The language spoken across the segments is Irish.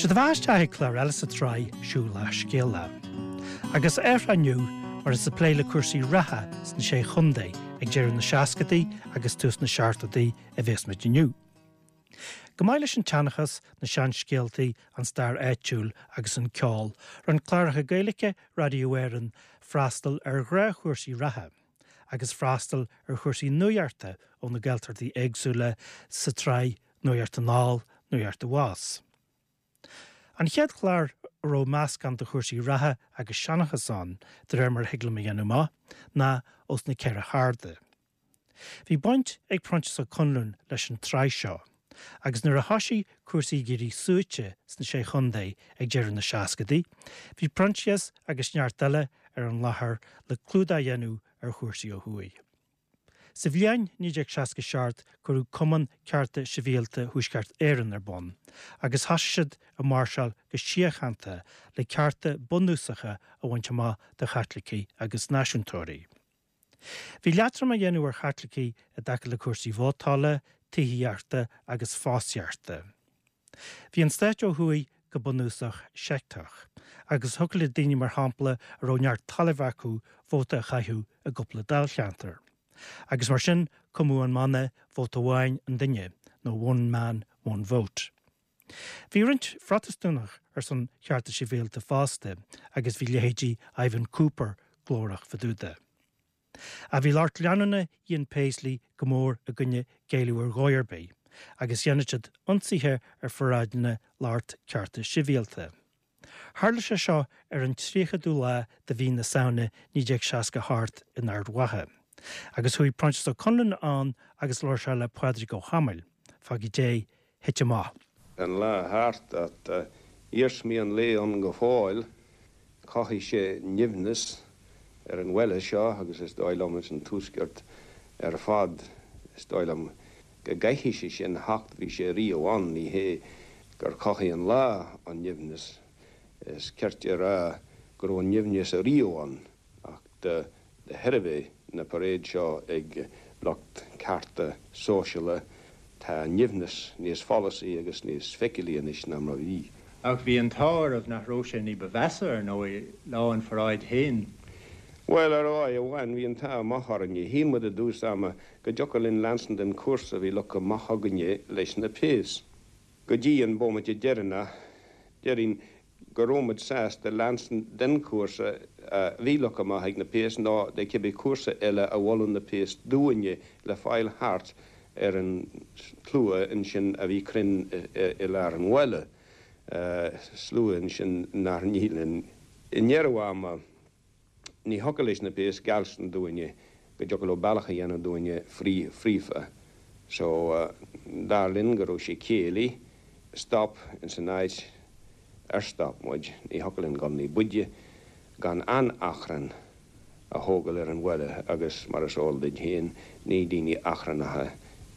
Sé do bheatha isteach ag clár eile sa tsraith Siúlach Scéalach. Agus ar inniu mar is ag plé le cúrsaí reatha sna Sé Chontae ag deireadh na seascadaí agus tús na seachtóidí a bhéas muid inniu. Go maith leis an tseanchas, na seanscéaltaí, an stair áitiúil agus an ceol, rinne cláracha Gaeilge Radio Éireann freastal ar ghnáthchúrsaí reatha agus freastal ar chúrsaí nuachta ó na Gaeltachtaí éagsúla sa tsraith Nuacht Anall, Nuacht Abhus. An chéad chlár a raibh meascán de chúrsaí reatha agus seanchas ann, de réir mar a thig liom a dhéanamh amach, ná Os na Ceithre hArda. Bhí baint ag Proinsias Ó Conluain leis an tsraith seo, agus nuair a thoisigh cúrsaí ag éirí suaite sna Sé Chontae ag deireadh na seascadaí, bhí Proinsias agus neart eile ar an láthair le clúdach a dhéanamh ar chúrsaí ó thuaidh. Sa bhliain 1967 cuireadh Cumann Cearta Sibhialta Thuaisceart Éireann ar bun agus thosaigh siad ag máirseáil go síochánta le cearta bunúsacha a bhaint amach do Chaitlicigh agus náisiúntóirí. Bhí leatrom á dhéanamh ar Chaitlicigh i dtaca le cúrsaí vótála, tithíochta agus fostaíochta. Bhí an stát ó thuaidh go bunúsach seicteach, agus thiocfadh le daoine mar shampla a raibh neart talaimh acu vóta a chaitheamh i gcúpla dáilcheantar. Agus mar sin cumadh an mana 'vóta amháin an duine' nó 'one man, one vote'. Bhí roinnt Phrotastúnach ar son chearta sibhialta fosta agus bhí leithéidí Ivan Cooper glórach fá dtaobh de. Ach bhí lucht leanúna Ian Paisley go mór i gcoinne géilleadh ar dhóigh ar bith agus dhéanadh siad ionsaithe ar pharáideanna lucht cearta sibhialta. Tharla sé seo ar an 30ú lá de mhí na Samhna 1968 in Ard Mhacha. Agus chuaigh Proinsias Ó Conluain ann agus labhair sé le Pádraig Ó hAdhmaill fá goidé thit amach. An lá thart, ach iarsmaí an lae ann go fóill. Chothaigh sé nimhneas ar an bhaile seo agus is dóigh liom ins an Tuaisceart ar fad. Is dóigh liom go gcaithfidh sé sin theacht, bhí sé riamh ann, ní hé gur chothaigh an lá an nimhneas, is cirte a rá go raibh an nimhneas ariamh ann ach de De thairbhe na parade seo ag lucht cearta sóisiala tá an nimhneas níos follasaí agus níos feiceálaí anois ná mar a bhí. Ach bhí an t-ádh oraibh nach raibh sé ní ba mheasa, ar ndóigh, lá an pharáid féin. Bhuel, ar dhóigh amháin, bhí an t-ádh maith orainne. Shíl muid i dtús ama go dtiocfadh linn leanstan den chúrsa a bhí leagtha amach againne leis na péas. Go dtí an bomaite deireanach, déarfainn go raibh muid sásta leanstan den chúrsa a bhí leagtha amach ag na péas nó de cibé cúrsa eile a mholfadh na péas dúinne le fáil thart ar an tslua ansin a bhí cruinn i lár an bhaile, slua ansin nár nith linn. I ndeireadh ama. Ní thiocfadh leis na péas geallstan dúinne go dtiocfadh leo bealach a dhéanamh dúinne fríofa so dar linn go raibh sé céillí stop ins an áit ar stop muid. Ní thiocfadh linn dul ní b'fhaide gan an-achrann a thógáil ar an bhaile agus mar is eol duit féin ní daoine achrannacha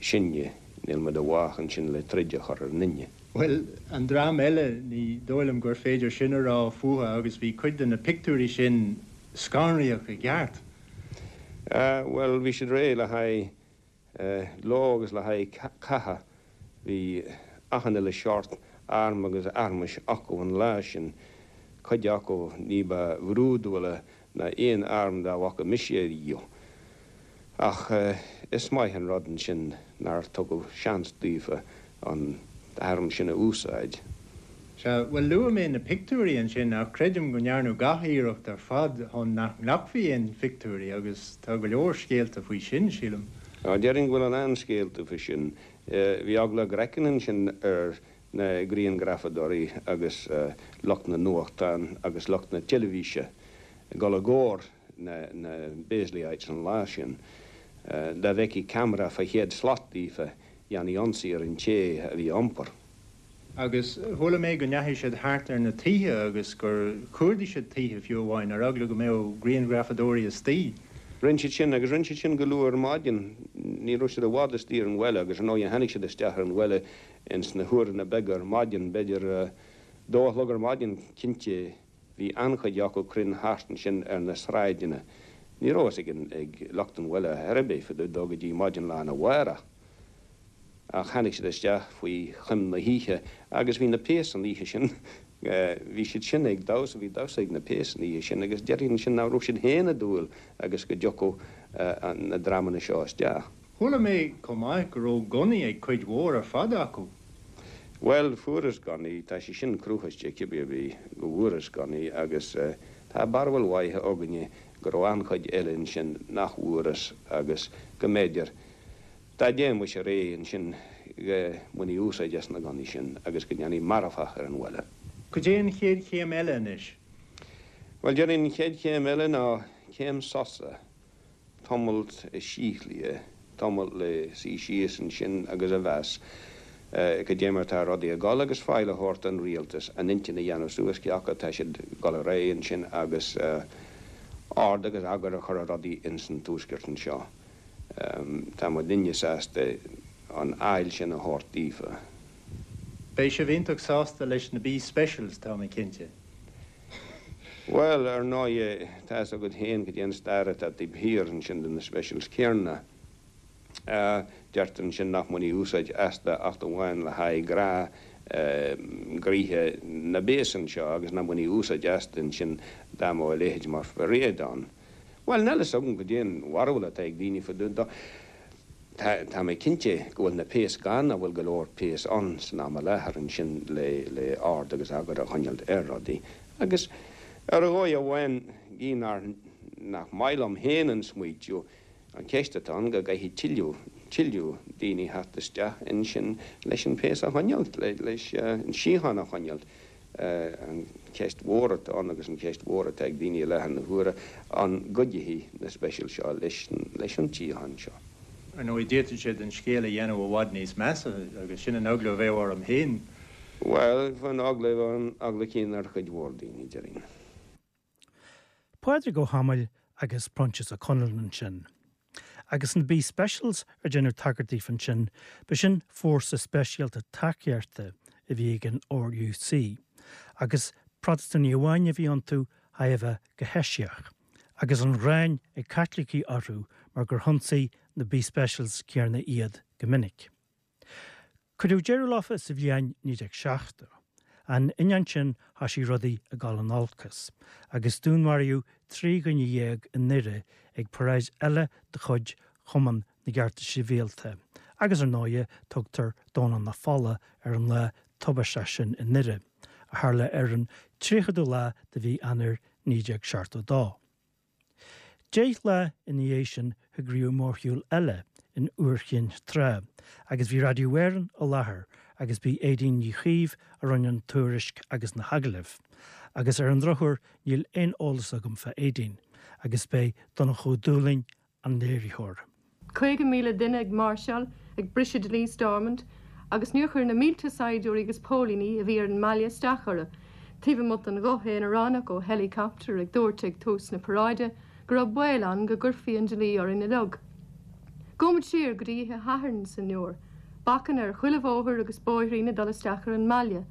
sinne, níl muid i bhfách ansin le troid a chur ar an duine. Bhuel, an dream eile, ní dóigh liom gur féidir sin a rá fúthu agus bhí cuid de na pictiúirí sin scanraíoch i gceart. Bhuel, bhí siad réidh le haghaidh ló agus le haghaidh catha. Bhí achan uile shórt arm agus armais acu an lá sin, cuid acu ní ba bhrúidiúla ná aon arm dá bhfaca mise ariamh. Ach is maith an rud ansin nár tugadh seans daofa an t-arm sin a úsáid. Sea, bhuel, luaigh mé na pictiúirí ansin ach creidim go ndearnadh gach iarracht ar fad chun nach nglacfaí aon phictiúirí agus tá go leor scéalta faoi sin, sílim. Á, déarfainn go bhfuil a lán scéalta faoi sin. Bhí eagla a gcraicinn ansin ar na grianghrafadóirí agus lucht na nuachtán agus lucht na teilifíse ag dul i gcomhair na bPaisleyites an lá sin. Dá bhfeicfí ceamara fá chéad slat daofa, dhéanfaí ionsaí ar an té a bhí á iompar. Agus chuala mé go ndeachaigh siad thart ar na tithe agus gur chuardaigh siad tithe fiú amháin, ar eagla go mbeadh grianghrafadóirí istigh. Rinne siad sin, agus rinne siad sin go luath ar maidin. Ní raibh siad i bhfad istigh ar an bhaile, agus ar ndóighe tháinig siad isteach ar an bhaile Ins na huaireanna beaga ar maidin, b'fhéidir dó a chlog ar maidin cinnte, bhí an-chuid acu cruinn thart ansin ar na sráideanna. Ní raibh fhios ag lucht an bhaile ar chor ar bith fá dtaobh dó go dtí maidin lá arna mhárach. Ach tháinig siad isteach faoi choim na hoíche agus bhí na péas an oíche sin, bhí siad sin ag damhsa, bhí damhsa ag na péas an oíche sin agus déarfainn ansin nach raibh siad féin ag dúil agus go dtiocfadh na dreamanna seo isteach. Chuala mé chomh maith go raibh gunnaí ag cuid mhór ar fad acu. Bhuel, fuarthas gunnaí, tá sé sin cruthaithe cibé ar bith go bhfuarthas gunnaí agus tá barúil mhaith againne go raibh an-chuid eile ansin nach bhfuarthas agus go mb'fhéidir dá dtéimis ar aghaidh ansin go mbainfí úsáid as na gunnaí sin agus go ndéanfaí marfach ar an bhaile. Cad é an chéad chéim eile anois? Bhuel, déarfainn an chéad chéim eile ná céim sosa. tamall síothlaithe, tamall le suí síos ansin agus a mheas cad é mar atá rudaí ag dul agus faill a thabhairt don rialtas a n-intinn a dhéanamh suas cé acu atá siad ag dul ar aghaidh ansin agus ord agus eagar a chur ar rudaí ins an Tuaisceart anseo. Tá muidinne sásta an fhaill sin a thabhairt daofa. Beidh sibh iontach sásta leis na B Specials, tá mé cinnte. Bhuel, ar ndóighe, tá fhios agat féin cad é an stair atá taobh thiar ansin de na Specials céanna. Deirtear ansin nach mbainfí úsáid astu acht amháin le haghaidh gnáth ghnoithe na bpéas anseo agus nach mbainfí úsáid astu ansin dá mbeadh a leithéid mar pharáid ann. Bhuel, níl fhios agam cad é an bharúil atá ag daoine fá dtaobh dó. Tá mé cinnte go bhfuil na péas gann, an bhfuil go leor péas ann san am i láthair ansin le le ord agus eagar a choinneáilt ar rudaí. Agus ar dhóigh amháin, gidh nár nach maith liom féin an smaoitiú, an cheist atá ann go gcaithfidh tuilleadh, tuilleadh daoine theacht isteach ansin leis an péas a choinneáilt, leis an síocháin a choinneáilt. An cheist mhór atá ann agus an cheist mhór atá ag daoine i láthair na huaire, an gcuideoidh na speisials seo leis an tsíocháin seo? Ar ndóigh, d'fhéadfadh siad an scéal a dhéanamh i bhfad níos measa agus sin an eagla a bheadh orm féin. Bhuel, an eagla, an eagla céanna ar chuid mhór daoine, déarfainn. Pádraig Ó hAdhmaill agus Proinsias Ó Conluain ansin. Agus na B Specials ar deineadh tagairt daofa ansin, ba sin fórsa speisialta tacaíochta a bhí ag an RUC, agus Protastúnaigh amháin a bhí iontu thar a bheith go heisiach, agus an ghráin ag Caitlicigh orthu mar gur hionsaigh na B Specials céanna iad go minic. Cuireadh deireadh leofa sa bhliain 1970. An ainneoin sin thoisigh rudaí ag dul in olcas, agus dúnmharaíodh 13 dhuine i nDoire ag paráid eile de chuid Chumann na gCearta Sibhialta, agus ar ndóighe tugtar Domhnach na Fola ar an lá tubaisteach sin i nDoire, a tharla ar an 30ú lá de mhí Eanáir 1972. 10 lá ina dhiaidh sin heagraíodh mórshiúl eile in Iúr Chinn Trá agus bhí Radio Éireann i láthair agus b'í Aedín Ní Chaoimh a rinne an tuairisc agus na hagallaimh. Agus ar an drochuair níl aon eolas agam fá Aedín agus b'é Donncha Ó Dúlaing an léiritheoir. 50,000 duine ag máirseáil, ag briseadh dlí Stormont, agus níor chuir na mílte saighdiúirí agus póilíní a bhí ar an mbaile isteach orthu, taobh amuigh den ghuth aonaránach ó heileacaptar ag dúirt ag tús na paráide go raibh baol ann go gcuirfí an dlí orainn uilig. Gabhaimid siar go dtí oíche Shathairn sa nDiúr. Bacanna ar chuile bhóthar agus bóithrín ag dul isteach ar an mbaile.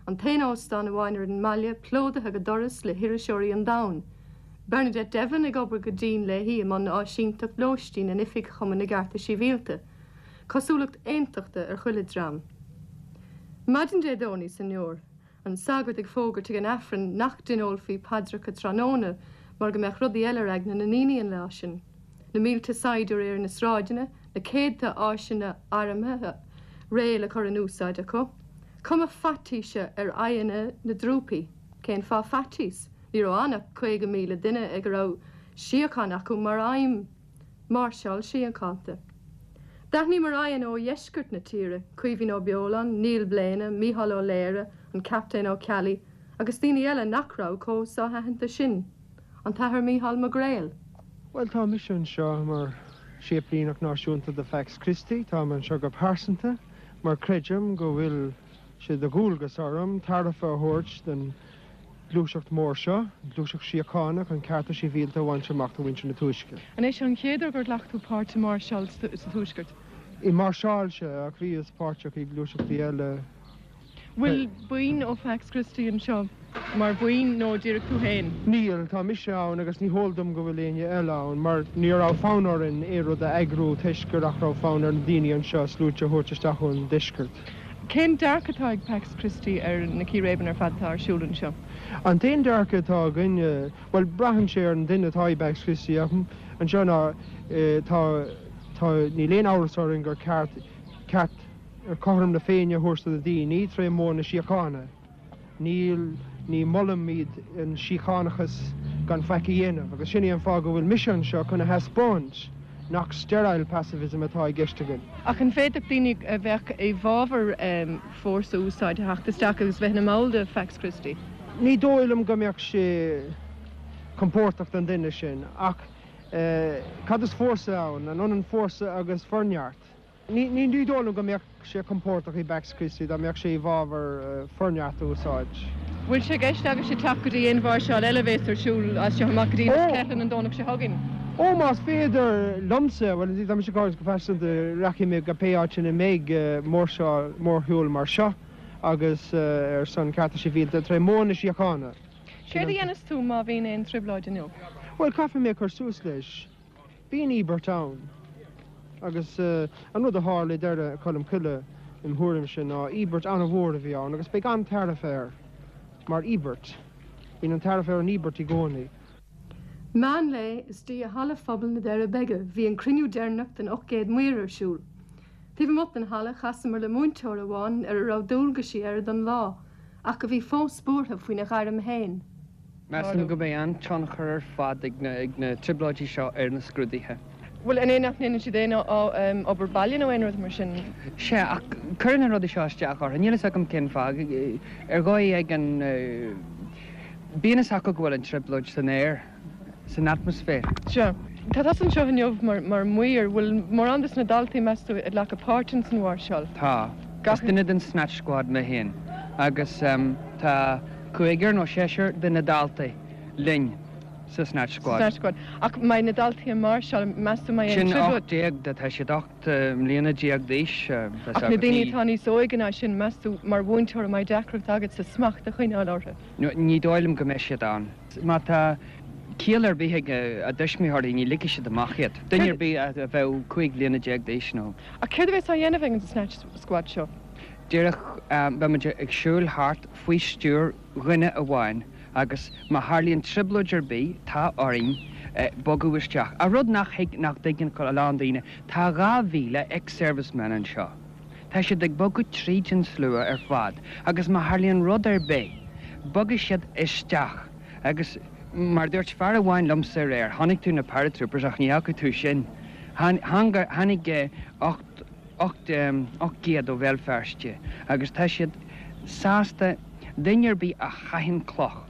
An t-aon óstán amháin ar an mbaile plódaithe go doras le hiriseoirí an domhain. Bernadette Devlin ag obair go dian léi i mbun áisínteacht lóistín in oifig Chumann na gCearta Sibhialta. Cosúlacht aontachta ar chuile dhream. Maidin Dé Domhnaigh sa nDiúr. An sagart ag fógairt ag an Aifreann nach dtionólfaí paidreacha tráthnóna mar go mbeadh rudaí eile ar aigne na ndaoine an lá sin. Na mílte saighdiúirí ar na sráideanna, na céadta áiseanna armtha réidh le cur in úsáid acu. Cuma faitíse ar aghaidheanna na dtrúpaí. Cén fáth faitíos? Ní raibh ann ach 50,000 duine ag a raibh síocháin acu mar aidhm. Máirseáil síochánta. D'aithníomar aghaidheanna ó dheisceart na tíre, Caoimhín Ó Beoláin, Niall Bléine, Mícheál Ó Laoire, an Captaen Ó Ceallaigh, agus daoine eile nach raibh chomh so-aitheanta sin. An tAthair Mícheál Mac Gréil. Bhuel, tá mise anseo mar Séiplíneach Náisiúnta do Phax Christi. Táim anseo go pearsanta mar creidim go bhfuil sé de dhualgas orm tairbhe a thabhairt don ghluaiseacht mhór seo, an ghluaiseacht síochána chun cearta sibhialta a bhaint amach do mhuintir na Tuaisce. An é seo an chéad uair gur ghlac tú páirt i máirseáil sa Tuaisceart? I máirseáil, sea, ach bhíos páirteach i gluaiseachtaí eile. Bhfuil buíon ó Phax Christi anseo? Mar bhuíon nó díreach tú féin? Níl, tá mise ann agus ní heol dom go bhfuil éinne eile ann mar ní raibh fonn orainn aon rud a eagrú toisc gur nach raibh fonn ar na daoine anseo sluaite a thabhairt isteach ón deisceart. Cén dearcadh atá ag Pax Christi ar na círéibeanna ar fad atá ar siúl anseo? An t-aon dearcadh atá againn, bhuel, braitheann sé ar an duine atá i bPax Christi ach anseo ná tá, tá, níl aon amhras orainn gur ceart, ceart cothrom na Féinne a thabhairt do na daoine tré mhodh na síochána. Níl, ní mholaimid an síochánachas gan faic a dhéanamh agus sin é an fáth go bhfuil mise anseo chun a thaispeáint nach sterile pacifism atá i gceist againn. Ach an bhféadfadh daoine a bheadh i bhfabhar fórsa a úsáid a theacht isteach agus bheith ina mball de Phax Christi? Ní dóigh liom go mbeadh sé compordach don duine sin ach cad is fórsa ann? An ionann fórsa agus forneart? Ní dóigh liom go mbeadh sé compordach i bPax Christi dá mbeadh sé i bhfabhar forneart a úsáid. Bhfuil sé i gceist agaibhse teacht go dtí aon mháirseáil eile a bhéas ar siúl as seo amach go dtí Inis Ceithleann an Domhnach seo chugainn? Ó, más féidir liomsa, bhuel, tá mise ag caint go pearsanta, rachaidh mé go pé áit ina mbeidh mórshiúl, mórshiúl mar seo agus ar son cearta sibhialta tré mhodh na síochána. Céard a dhéanfas tú má bhíonn aon trioblóid inniu? Bhuel, caithfidh mé cur suas leis. Bíonn íobairt ann. Agus an rud a tharla i Doire Cholm Cille, im thuairimse, ná íobairt an-mhór a bhí ann agus beidh an-tairbhe air mar íobairt. Bíonn an tairbhe ar an íobairt i gcónaí. Meán lae istigh i Halla Phobail na Doire Beige bhí an cruinniú deireanach den 800 maor ar siúl. Taobh amuigh den halla chasamar le múinteoir amháin ar a raibh dualgaisí air don lá ach a bhí fós buartha faoina ghairm féin. Measaim go mbeidh an-tionchar ar fad ag na trioblóidí seo ar na scrúduithe. Bhuel, an é nach ndéanann siad aon obair baile nó aon rud mar sin? Sea, ach cuireann na rudaí seo isteach orthu. Níl fhios agam cén fáth. Ar dhóigh éigin, bíonn fhios acu go bhfuil an trioblóid san aer, san atmaisféar. Sea. Tá tusa anseo inniu mar mhaor. Bhfuil mórán de na daltaí, meas tú, ag glacadh páirt ins an mháirseáil? Tá. Is duine den Snatch Squad mé féin agus tá. Cúigear nó seisear de na daltaí linn sa Snatch Squad. Snatch Squad. Ach mbeidh na daltaí ag máirseáil, meas tú mbeidh aon Sin 18 de, tá siad 18 mbliana d'aois. Ach na daoine atá níos óige ná sin, meas tú mar mhúinteoir an mbeidh deacracht agatsa smacht a choinneáil orthu? Ní dóigh liom go mbeidh siad ann. Má tá ciall ar bith ag a dtuismitheoirí ní ligfidh siad amach iad. Duine ar bith a bheadh 15 bliana d'aois nó. Ach céard a bheas á dhéanamh ag an Snatch Squad seo? Díreach, beidh muid ag siúl thart faoi stiúir dhuine amháin agus má tharlaíonn trioblóid ar bith, tá orainn bogadh isteach. Ach rud nach thuig, nach dtuigeann a lán daoine, tá 2,000 ex-servicemen anseo. Tá siad ag bogadh tríd an slua ar fad agus má tharlaíonn rud ar bith, bogfaidh siad isteach agus mar a dúirt fear amháin liomsa aréir, chonaic tú na paratroopers ach ní fhaca tú sinn. Tháinig 8. 800 ó Bhéal Feirste agus tá siad sásta duine ar bith a chaitheann cloch,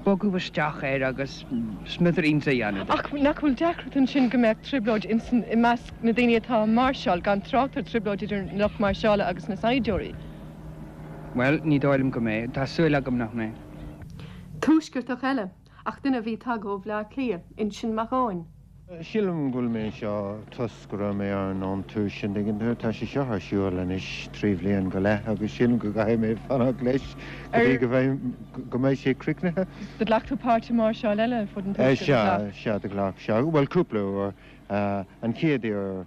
bogadh isteach air agus smithereens a dhéanamh de. Ach nach bhfuil deacracht ansin go mbeadh trioblóid insan, i measc na daoine atá ag máirseáil, gan trácht ar trioblóid idir an lucht máirseála agus na saighdiúirí? Bhuel, ní dóigh liom go mbeidh. Tá súil agam nach mbeidh. Tuaisceartach eile, ach duine a bhí tagtha ó Bhleá Cliath, Uinseann Mac Eoin. Sílim go bhfuil mé anseo toisc go raibh mé ann ón tús, an dtuigeann tú. Tá sé seo ar siúl anois 3 bhliain go leith agus sílim go gcaithfidh mé fanacht leis go dtí go mbeidh, go mbeidh sé críochnaithe. Do ghlac tú páirt i máirseáil eile ar fud an tuaiscirt, ar ghlac? Sea, sea, do ghlac, sea. Bhuel, cúpla uair. An chéad uair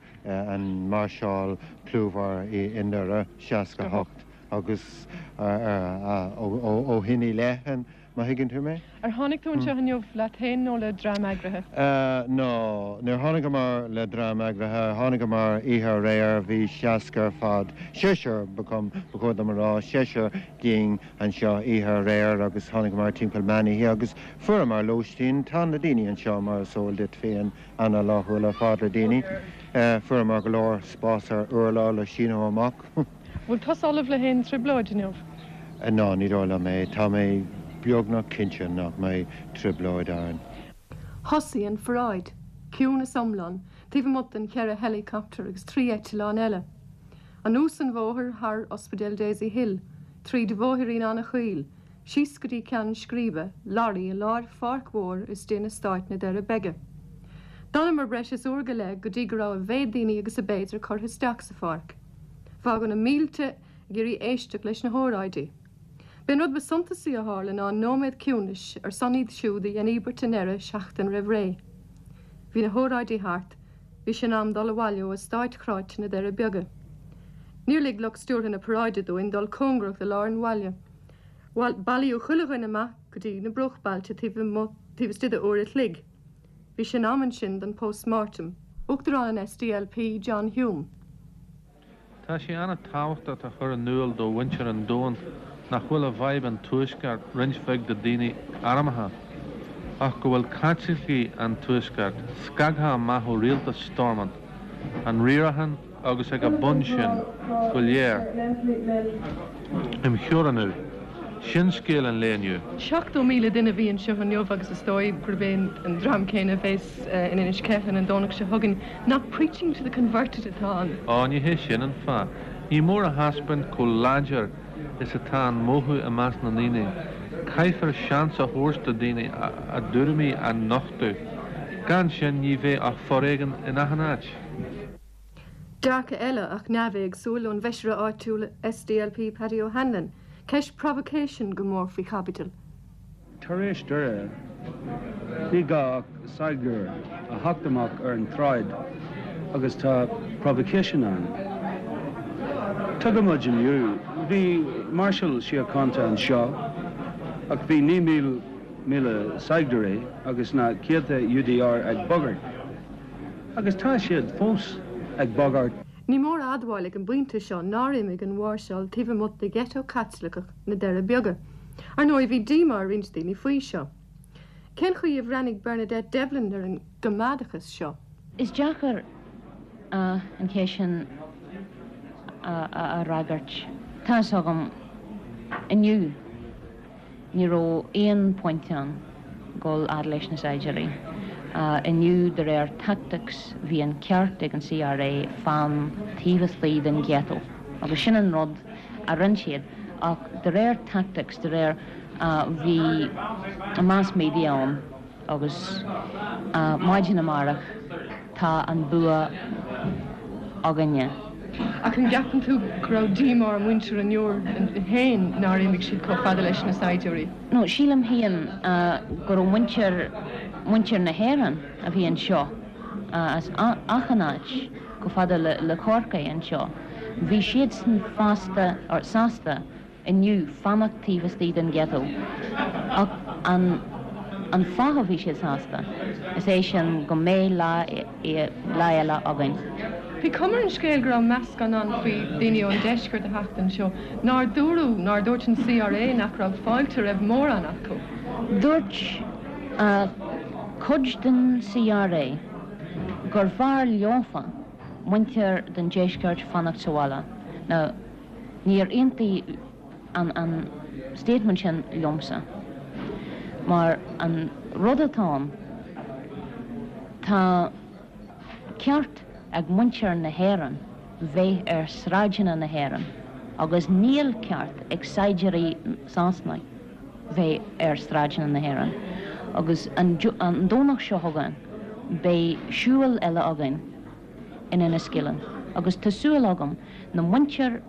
an máirseáil clúmhar i nDoire, 68, agus ó shin i leith, an, má thuigeann tú mé. Ar tháinig tú anseo inniu leat féin nó le dream eagraithe? No, níor tháinigeamar le dream eagraithe, tháinigeamar oíche aréir, bhí 60 ar fad, seisear ba chóir dom a rá, seisear dínn anseo oíche aréir agus tháinigeamar timpeall meán oíche agus fuaireamar lóistín, tá na daoine anseo mar is eol duit féin ana-fhlaithiúil ar fad le daoine, fuaireamar go leor spás ar urlár le síneadh amach. Bhfuil tusa ullamh le haon trioblóid inniu? Ná, ní dóigh liom é. Tá mé beagnach cinnte nach mbeidh trioblóid ann. Thosaigh an pharáid, ciúnas iomlán, taobh amuigh den cheithre helicopter agus 3 eitleán eile. Anuas an bhóthar thar Ospidéal Daisy Hill, tríd bhóithrín an-chaol, síos go dtí ceann scríbe, lorraí i lár pháirc mhór istigh in eastáit na Doire Beige. D'fhanamar breis is uair go leith go dtí go raibh a mhéad daoine agus a b'fhéidir curtha isteach sa pháirc. Fágadh na mílte ag iarraidh éisteacht leis na hóráidí. B'é an rud ba suntasaí a tharla ná an nóiméad ciúnais ar son iad siúd a dhein íobairt i nDoire seachtain roimh ré. Bhí na hóráidí thart, bhí sé in am dul abhaile ó eastáit chráite na Doirí Beaga. Níor lig lucht stiúrtha na paráide dúinn dul cóngarach do lár an bhaile. Bailíodh chuile dhuine amach go dtí na bruachbailte taobh amuigh, taobh istigh de uair a chloig. Bhí sé in am ansin don post-mortem. Uachtarán an SDLP, John Hume. Tá sé an-tábhachtach a chur in iúl do mhuintir an domhain nach bhfuil i bhfadhb an Tuaiscirt roinnt bheag de daoine armtha, ach go bhfuil Caitlicigh an Tuaiscirt scagtha amach ó rialtas Stormont, an riarachán agus ag a bun sin go léir. Imtheorannú. Sin scéal an lae inniu. 70,000 duine a bhí anseo inniu agus is dóigh gurb é an dream céanna a bheas in Inis Ceithleann an Domhnach seo chugainn. Nach preaching to the converted atá ann? Á, ní hé sin an fáth. Ní mór a thaispeáint chomh láidir is atá an mothú i measc na ndaoine. Caithfear seans a thabhairt do daoine a dtuairimí a nochtadh. Gan sin ní bheidh ach foréigean in achan áit. Dearcadh eile, ach neamhéagsúil, ón bhfeisire áitiúil SDLP Paddy O'Hanlon, ceist provocation go mór faoi chaibidil. Tar éis Doire, ní gá ach saighdiúir a theacht amach ar an tsráid agus tá provocation ann. Tuigim muid inniu, bhí máirseáil síochánta anseo ach bhí 9,000 saighdiúirí agus na céadta UDR ag bagairt. Agus tá siad fós ag bagairt. Ní mór a admháil ag an bpointe seo nár imigh an mháirseáil taobh amuigh de gheiteo Caitliceach na Doirí Beaga. Ar ndóigh, bhí díomá ar roinnt daoine faoi seo. Cén chaoi a bhreathnaigh Bernadette Devlin ar an gcoimeádachas seo? Is deacair an cheist sin a fhreagairt. Tá fhios agam inniu. Ní raibh aon point ann dul fhad leis na saighdiúirí. Inniu, de réir tactics, bhí an ceart ag an CRA fan taobh istigh den ghetto agus sin an rud a rinn siad. Ach de réir tactics, de réir, bhí mass media ann agus maidin amárach tá an bua againne. Ach an gceapann tú go raibh díomá ar mhuintir an Iúir féin nár imigh siad chomh fada leis na saighdiúirí? No, sílim féin go raibh muintir, muintir na hÉireann a bhí anseo as achan áit chomh fada le Corcaigh anseo, bhí siadsan fosta, or sásta inniu fanacht taobh istigh den ghetto. Ach an an fáth a bhí siad sásta, is é sin go mbeidh lá lá eile againn. Bhí cuma ar an scéal go raibh meascán ann faoi daoine ón deisceart a theacht anseo. Nár dúradh, nár dúirt an CRA nach raibh fáilte roimh mórán acu? Dúirt cuid den CRA gur bhfearr leofa muintir den deisceart fanacht sa bhaile. Now. Níor aontaigh an an statement sin liomsa mar an rud atá ann, tá ceart ag muintir na hÉireann bheith ar sráideanna na hÉireann agus níl ceart ag saighdiúirí Sasanaigh bheith ar sráideanna na hÉireann agus an Domhnach seo chugainn beidh siúl eile againn in Enniskillen agus tá súil agam na muintir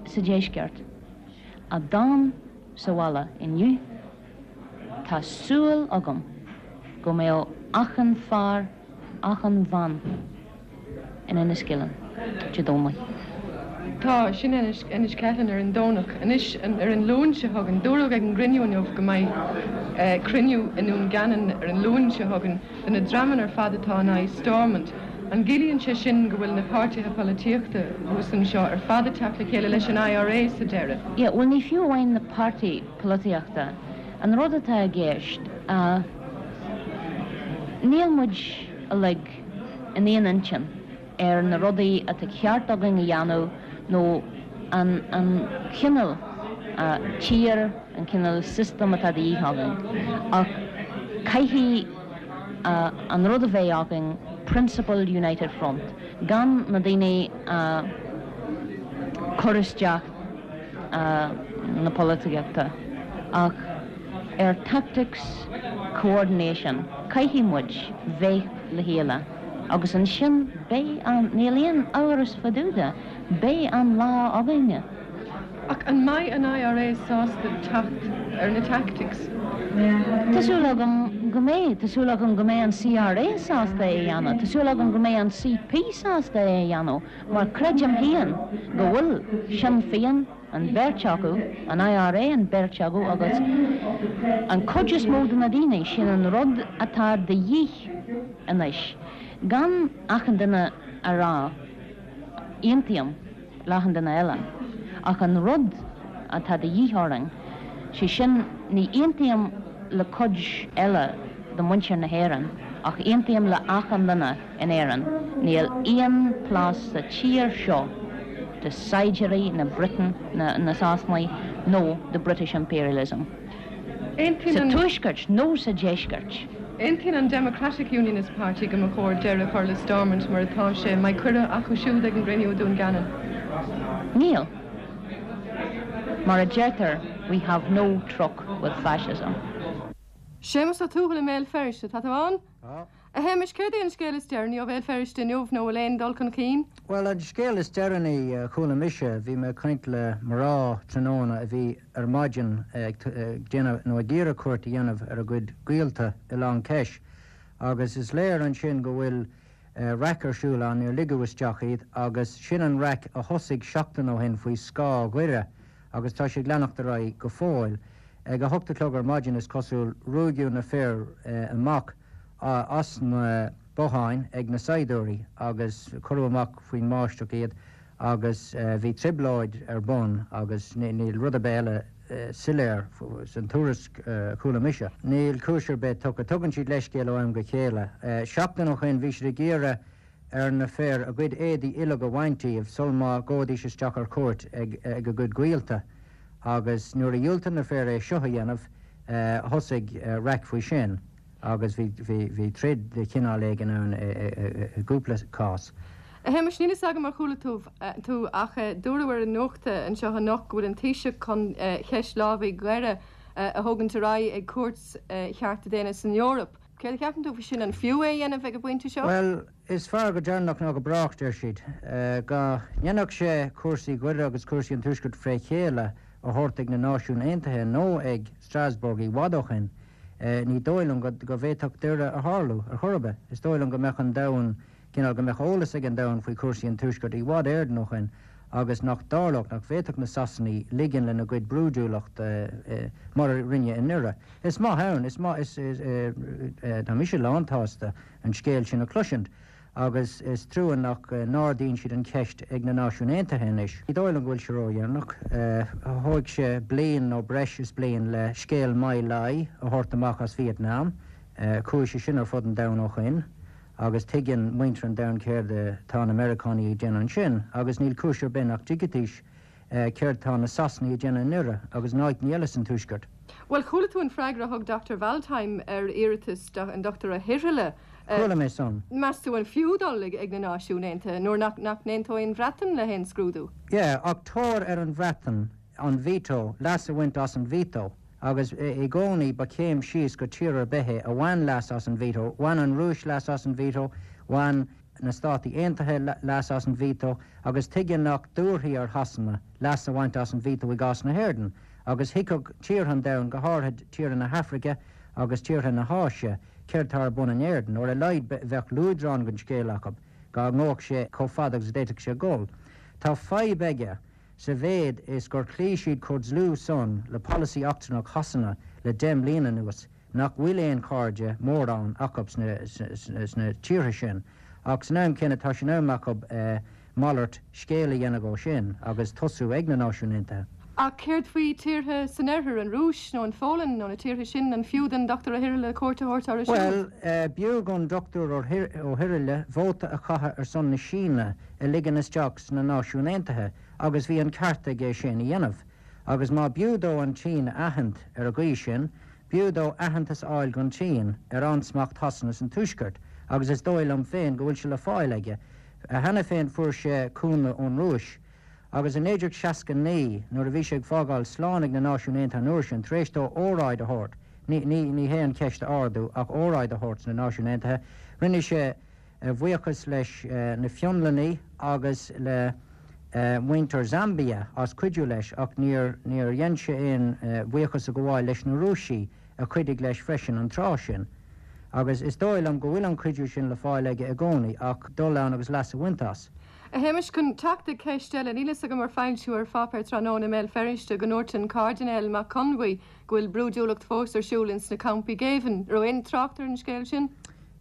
sa deisceart a d'fhan sa bhaile inniu, tá súil agam go mbeadh achan fear, achan bhean in Enniskillen Dé Domhnaigh. Tá, sin Inis Ceithleann ar an Domhnach. Anois, ar an Luan seo chugainn, dúradh ag an gcruinniú inniu go mbeidh cruinniú i nDún Geanainn ar an Luan seo chugainn de na dreamanna ar fad atá in aghaidh Stormont. An gciallaíonn sé sin go bhfuil na páirtithe polaitíochta thuas anseo ar fad ag teacht le chéile leis an IRA sa deireadh? Yeah, bhuel ní fiú amháin na páirtí polaitíochta. An rud atá i gceist, níl muid uilig in aon intinn ar na rudaí atá ceart againn a dhéanamh nó an an cineál tír, an cineál system atá de dhíth againn. Ach caithfidh an rud a bheith againn, principled united front, gan na daoine a chur isteach na polaitíochta ach ar tactics coordination, caithfidh muid bheith le chéile agus ansin beidh an, níl aon amhras fá dtaobh de, beidh an lá againne. Ach an mbeidh an IRA sásta teacht ar na tactics? Tá súil agam go mbeidh. Tá súil agam go mbeidh an CRA sásta é a dhéanamh. Tá súil agam go mbeidh an CP sásta é a dhéanamh mar creidim féin go bhfuil Sinn Féin, an bheirt acu, an IRA, an bheirt acu agus an chuid is mó de na daoine, sin an rud atá de dhíth anois. Gan achan duine a rá aontaím le achan duine eile, ach an rud atá de dhíth orainn, sé sin, ní aontaím le cuid eile de mhuintir na hÉireann, ach aontaím le achan duine in Éirinn, níl aon plás sa tír seo do saighdiúirí na Breataine, na Sasanaigh nó do British Imperialism. Aontaíonn Sa an. Tuaisceart nó sa Deisceart. Aontaíonn an Democratic Unionist Party go mba chóir deireadh a chur le Stormont mar atá sé. An mbeidh cuireadh acu siúd ag an gcruinniú i Dún Geanainn? Níl. Mar a deirtear, we have no truck with fascism. Séamus Ó Tuathail i mBéal Feirste, tá tú ann? Tá. A Shéamais, céard é an scéal is deireanaí ó Bhéal Feirste inniu nó bhfuil aon dul chun cinn? Bhuel, an scéal is deireanaí a chuala mise, bhí mé ag caint le mná tráthnóna a bhí ar maidin ag déanamh, nó ag iarraidh cuairt a dhéanamh ar a gcuid gaolta i Long Kesh agus is léir ansin go bhfuil raic ar siúl ann, níor ligeadh isteach iad agus sin an raic a thosaigh seachtain ó shin faoi scáth Dhoire agus tá sé ag leanacht ar aghaidh go fóill. Ag a hocht a chlog ar maidin, is cosúil, ruaigeadh na fir amach as na botháin ag na saighdiúirí agus cuireadh amach faoin mbáisteach iad agus bhí trioblóid ar bun agus níl rud ar bith eile soiléir san tuairisc a chuala mise. Níl cúis ar bith tugtha. Tugann siad leithscéal ó am go chéile. Seachtain ó shin bhí siad ag iarraidh ar na fir a gcuid éadaí uileag a bhaint díobh sul má ghabhaidís isteach ar cuairt ag a gcuid gaolta agus nuair a dhiúltaigh na fir é seo a dhéanamh thosaigh raic faoi sin agus bhí bhí troid de chineál éigin ann i gcúpla cás. A Shéamais, níl fhios agam ar chuala tú tú ach dúradh ar an nuacht anseo anocht go bhfuil an Taoiseach chun ceist lámhaigh Dhoire a thógaint ar aghaidh ag Cúirt Chearta Daonna san Eoraip. Céard a cheapann tú faoi sin? An fiú é a dhéanamh ag an bpointe seo? Bhuel, is fearr go deireanach ná go brách, deir siad. Dá ndéanfadh sé cúrsaí Dhoire agus cúrsaí an Tuaiscirt fré chéile a thabhairt ag na Náisiúin Aontaithe nó ag Strasbourg i bhfad ó shin, ní dóigh liom go bhféadfadh Doire a tharlú ar chor ar bith. Is dóigh liom go mbeadh an domhan, cineál, go mbeadh eolas ag an domhan faoi chúrsaí an Tuaiscirt i bhfad Éireann ó shin agus nach dtarlódh, nach bhféadfadh na Sasanaigh ligean lena gcuid brúidiúlachta mar a rinneadh i nDoire. Is maith ann, is maith, is, tá mise lántshásta an scéal sin a chloisint agus is trua nach n-ardaíonn siad an cheist ag na Náisiúin Aontaithe anois. Ní dóigh liom go bhfuil sé ródheireanach. Thóig sé bliain nó breis is bliain le scéal My Lai a thabhairt amach as Vietnam. Chuaigh sé sin ar fud an domhain ó shoin agus tuigeann muintir an domhain céard atá na Meiriceánaigh ag déanamh ansin agus níl cúis ar bith nach dtuigfidís céard tá na Sasanaigh ag déanamh i nDoire agus in áiteanna eile san Tuaisceart. Bhuel, chuala tú an freagra a thug Dr Waldheim ar iarratas an Dr Ó hIrghile. Chuala mé san. Meas tú an fiú dul ag na Náisiúin Aontaithe nuair nach n-aontóidh an Bhreatain le haon scrúdú? Yeah, ach tóir ar an Bhreatain an veto, leas a bhaint as an veto agus i gcónaí ba chéim síos go tír ar bith é a bhain leas as an veto. Bhain an Rúis leas as an veto, bhain. na Státaí Aontaithe leas as an veto agus tuige nach dtabharfaí ar Shasana leas a bhaint as an veto i gcás na hÉireann agus thuigfeadh tíortha an domhain, go háirithe tíortha na hAfraice agus tíortha na hÁise, céard tá ar bun in Éirinn. Nó ar a laghad bheadh luaidreán den scéal acu dá ngabhadh sé chomh fada agus a d'fhéadfadh sé dul. Tá fadhb aige sa mhéid is gur chloígh siad chomh dlúth san le polasaí eachtrannach Shasana le deich mbliana anuas. nach bhfuil aon chairde mórán acu sna tíortha sin, ach san am céanna tá sé in am acu malairt scéil a dhéanamh dhó sin agus tosú ag na Náisiúin Aontaithe. Ach céard faoi tíortha san oirthear, an Rúis nó an Pholainn nó na tíortha sin, an fiú don Dr Ó hIrghile cuairt a thabhairt orthu siúd? Bhuel, b'fhiú don Dr Ó hIrghile vóta a chaitheamh ar son na Síne a ligean isteach sna Náisiúin Aontaithe agus bhí an ceart aige sin a dhéanamh. Agus má b'fhiú dó an tSín a aithint ar an gcaoi sin, b'fhiú dó aitheantas a fháil gon tSín ar ansmacht Shasana san Tuaisceart, agus is dóigh liom féin go bhfuil sé le fáil aige. Cheana féin fuair sé cúnamh ón Rúis. Agus i 1969, nuair a bhí sé ag fágáil slán ag na Náisiúin Aontaithe an uair sin, tar éis dó óráid a thabhairt, ní, ní, ní hé an cheist a ardú, ach óráid a thabhairt sna Náisiúin Aontaithe, rinne sé a bhuíochas leis na Fionlannaigh agus le. muintir Zambia as cuidiú leis ach níor níor dhein sé aon bhuíochas a ghabháil leis na Rúisigh a chuidigh leis freisin an tráth sin. Agus is dóigh liom go bhfuil an cuidiú sin le fáil aige i gcónaí ach dul ann agus leas a bhaint as. A Shéamais, chun teacht ag ceist eile, níl fhios agam ar foilsíodh ar pháipéar tráthnóna i mBéal Feirste go ndúirt an Cairdinéal Mac Conmhaí go bhfuil brúidiúlacht fós ar siúl ins na campaí géibhinn. Raibh aon trácht ar an scéal sin?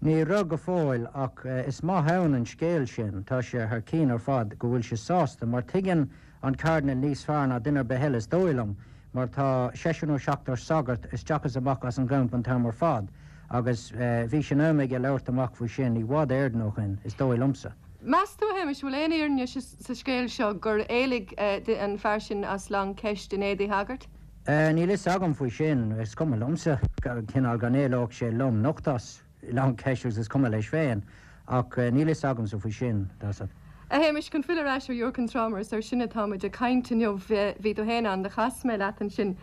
Ní raibh go fóill, ach is maith ann an scéal sin. Tá sé thar cionn ar fad go bhfuil sé sásta, mar tuigeann an Cairdinéal níos fearr ná duine ar bith eile, is dóigh liom, mar tá seisear nó seachtar sagart isteach is amach as an gcampa an t-am ar fad, agus bhí sé in am aige labhairt amach faoi sin i bhfad Éireann ó shin, is dóigh liomsa. Meas tú, a Shéamais, bhfuil aon fhírinne sa scéal seo gur éalaigh an fear sin as Long Ceist in éadaí shagairt? Níl fhios agam faoi sin. Is cuma liomsa, cineál go n-éalódh sé lom nocht as Long Kesh agus is cuma leis féin. Ach níl fhios agamsa faoi sin, tá. A Shéamais, chun filleadh ar ais ar Iúr Cinn Trá mar is air sin atá muid ag caint inniu, bhí tú féin ann, do chas mé leat ansin.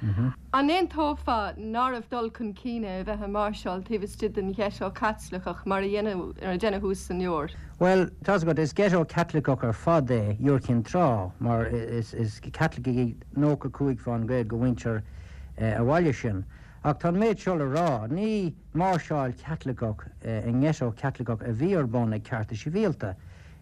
An aontófá nárbh dul chun cinn é a bheith ag máirseáil taobh istigh den gheiteo Caitliceach mar a deineadh thuas san Iúr? Bhuel, tá's agat, is ghetto Caitliceach ar fad é Iúr Chinn Trá, mar is Caitlicigh iad 95% de mhuintir an bhaile sin. Ach tá an méid seo le rá, ní máirseáil Chaitliceach i ngeiteo Caitliceach a bhí ar bun ag Cearta Sibhialta.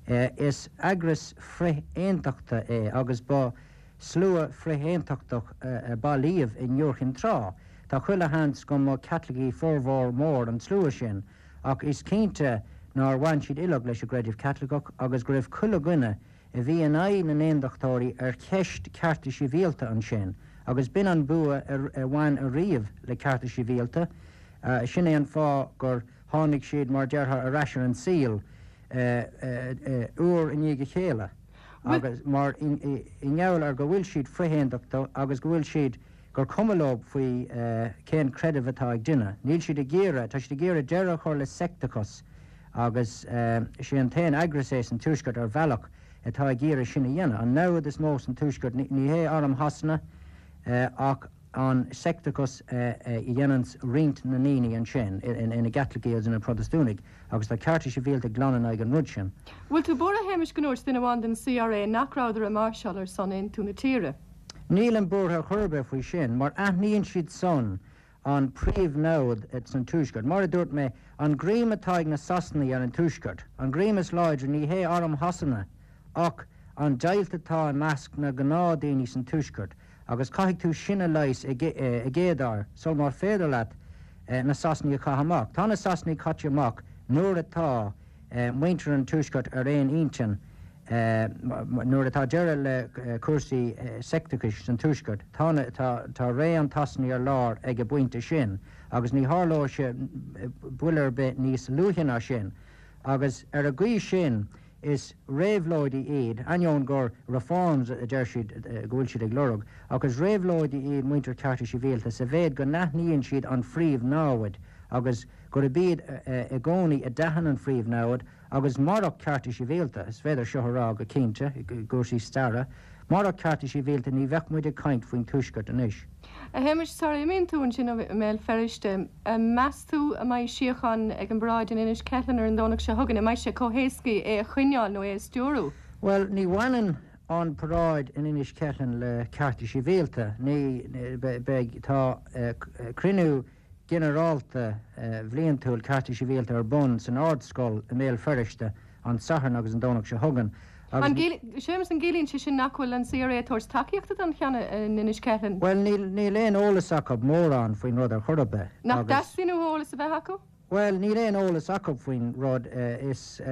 Is eagras frith-aontachta é agus ba slua frith-aontachtach a bailíodh in Iúr Chinn Trá. Tá chuile sheans go mba Chaitlicigh formhór mór an tslua sin, ach is cinnte nár bhain siad uileag leis an gcreideamh Caitliceach agus go raibh chuile dhuine a bhí in aghaidh na n-aondachtóirí ar cheist cearta sibhialta ansin agus b'in an bua a bhain ariamh le cearta sibhialta. Sin é an fáth gur tháinig siad, mar déarfá, ar ais ar an saol uair i ndiaidh a chéile agus mar i ngeall ar go bhfuil siad frith-aondachtach agus go bhfuil siad, gur cuma leo faoi cén creideamh atá ag duine. Níl siad ag iarraidh, tá siad ag iarraidh deireadh a chur le seicteachas agus sé an t-aon eagras é san Tuaisceart ar bhealach atá ag iarraidh sin a dhéanamh. An namhaid is mó san Tuaisceart, ní hé arm Shasana ach an seicteachas a dhéananns roinnt na ndaoine ansin ina gCaitlicigh agus ina Protastúnaigh agus tá Cearta Sibhialta glan in aghaidh an rud sin. Bhfuil tú buartha, a Shéamais, go ndúirt duine amháin den CRA nach rabhadar ag máirseáil ar son aontú na tíre? Nílim buartha ar chor ar bith faoi sin, mar aithníonn siad san an príomh-namhaid san Tuaisceart. Mar a dúirt mé, an greim atá ag na Sasanaigh ar an Tuaisceart, an greim is láidre, ní hé arm Shasana, ach an deighilt atá i measc na gnáthdaoine san Tuaisceart, agus caithfidh tú sin a leigheas i gcéad uair, sul mar féidir leat na Sasanaigh a chaitheamh amach. Tá na Sasanaigh caite amach nuair atá muintir an Tuaiscirt ar aon intinn. Nuair atá deireadh le cúrsaí seicteachais san Tuaisceart, tá ré an tSasanaigh ar lár ag an bpointe sin agus ní tharlóidh sé buille ar bith níos luaithe ná sin. Agus ar an gcaoi sin, is réabhlóidí iad, ainneoin gur reforms a deir siad go bhfuil siad ag lorg, ach is réabhlóidí iad muintir Cearta Sibhialta sa mhéid go n-aithníonn siad an phríomh-namhaid agus gurb iad i gcónaí a d'aithin an phríomh-namhaid Agus murach cearta sibhialta, is féidir seo a rá go cinnte i gcúrsaí staire, murach cearta sibhialta ní bheadh muid ag caint faoin Tuaisceart anois. A Shéamais, sara imíonn tú ansin i mBéal Feirste, meas tú an mbeidh síocháin ag an bparáid in Inis Ceithleann ar an Domhnach seo chugainn? An mbeidh sé chomh héascaí é a choinneáil nó é a stiúrú? Bhuel, ní bhaineann an paráid in Inis Ceithleann le cearta sibhialta. Ní beidh. Tá cruinniú ginearálta bhliantúil Cearta Sibhialta ar bun san Ard-Scoil i mBéal Feirste an Satharn agus an Domhnach seo chugainn agus. An, Séamus, an gciallaíonn sé sin nach bhfuil an CRA ag tabhairt tacaíochta don cheann in Inis Ceithleann? Bhuel, níl, níl aon eolas acu mórán faoin rud ar chor ar bith Nach agus. dteastaíonn uathu eolas a bheith acu? Bhuel, níl aon eolas acu faoin rud. Is,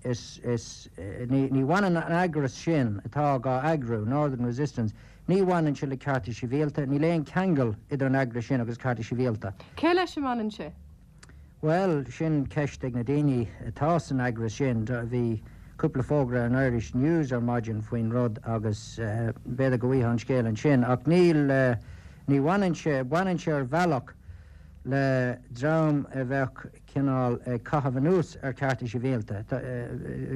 is, is, ní, ní bhaineann an eagras sin atá dhá eagrú, Northern Resistance, ní bhaineann sé le cearta sibhialta, níl aon cheangal idir an eagras sin agus cearta sibhialta. Cé leis a mbaineann sé? Bhuel, sin ceist ag na daoine atá san eagras sin. Bhí cúpla fógra ar an Irish News ar maidin faoin rud agus b'fhéidir go bhfaighfeá an scéal ansin. Ach níl, ní bhaineann sé, baineann sé ar bhealach le dream a bheadh cineál ag caitheamh anuas ar chearta sibhialta.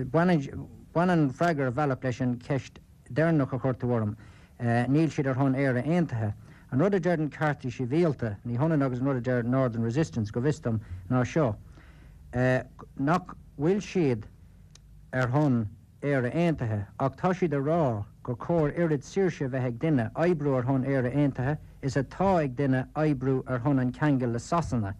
Baineann an freagra ar bhealach leis an cheist dheireanach a chuir tú orm. Níl siad ar shon Éire Aontaithe. An rud a deireann Cearta Sibhialta, ní hionann agus an rud a deir Northern Resistance, go bhfios dom, ná seo, nach bhfuil siad ar shon. Éire Aontaithe ach tá siad ag rá gur chóir oiread saoirse a bheith ag duine oibriú ar shon Éire Aontaithe is atá ag duine oibriú ar shon an cheangail le Sasana.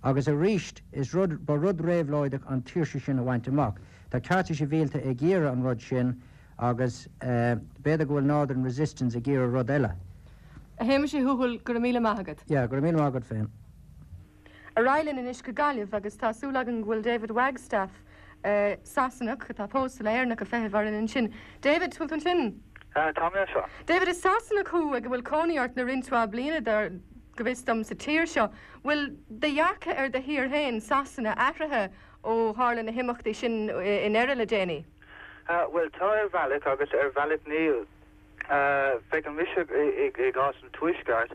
Agus arís, is rud, ba rud réabhlóideach an tsaoirse sin a bhaint amach. Tá Cearta Sibhialta ag iarraidh an rud sin agus b'fhéidir go bhfuil Northern Resistance ag iarraidh rud eile. A Shéamais Uí Thuathail, go raibh míle maith agat. Yeah, go raibh míle maith agat féin. Ar aghaidh linn anois go Gaillimh agus tá súil againn go bhfuil David Wagstaffe, Sasanach atá pósta le hÉireannach, ag feitheamh orainn ansin. David, bhfuil tú ansin? Tá mé anseo. David, is Sasanach thú ag a bhfuil cónaí ort le roinnt mhaith bliana, dar, go bhfios dom, sa tír seo. Bhfuil do dhearcadh ar do thír féin, Sasana, athraithe ó tharla na himeachtaí sin i nDoire le déanaí? Bhuel, tá ar bhealach agus ar bhealach níl. Feiceann mise i gcás an Tuaisceart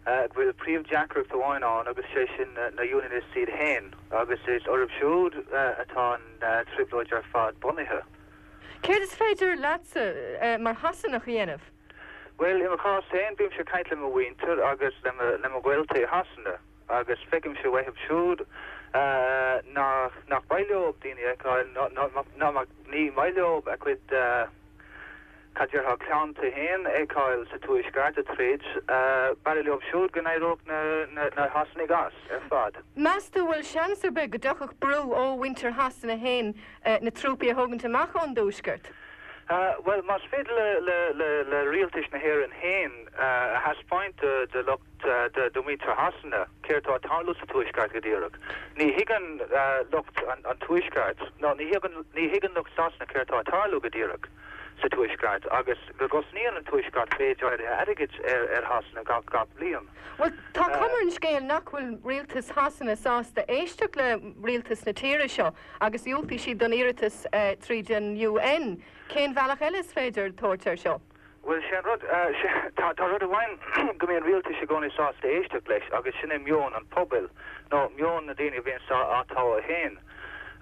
go bhfuil príomhdheacracht amháin ann agus sé sin na Unionists iad féin agus is orthu siúd atá an trioblóid ar fad bunaithe. Céard is féidir leatsa mar Shasanach a dhéanamh? Bhuel, i mo chás féin, bímse ag caint le mo mhuintir agus le mo ghaolta i Shasana agus feicimse uathu siúd nach maith leo daoine a fheiceáil, ná ní maith leo a gcuid Cad déarfá clann féin a fheiceáil sa Tuaisceart ag troid, b'fhearra leo siúd go n-éireodh na Sasanaigh as ar fad. Meas tú bhfuil seans ar bith go dtiocfadh brú ó mhuintir Shasana féin na trúpaí a thógaint amach ón dTuaisceart? Bhuel, más féidir le rialtais na hÉireann féin a thaispeáint do lucht do mhuintir Shasana céard atá ag tarlú sa Tuaisceart go díreach. Ní thuigeann lucht an Tuaisceart, nó ní thuigeann lucht Sasana céard atá ag tarlú go díreach sa Tuaisceart agus go gcosnaíonn an Tuaisceart méid áirithe airgid ar Shasana gach bliain. Bhuel, tá cuma ar an scéal nach bhfuil rialtas Shasana sásta éisteacht le rialtas na tíre seo agus dhiúltaigh siad don iarratas tríd an UN. Cén bhealach eile is féidir tabhairt air seo? Bhuel, sé an rud, tá rud amháin go mbíonn rialtais i gcónaí sásta éisteacht leis agus sin é meon an phobail, nó meon na daoine a bhíonn á toghadh féin.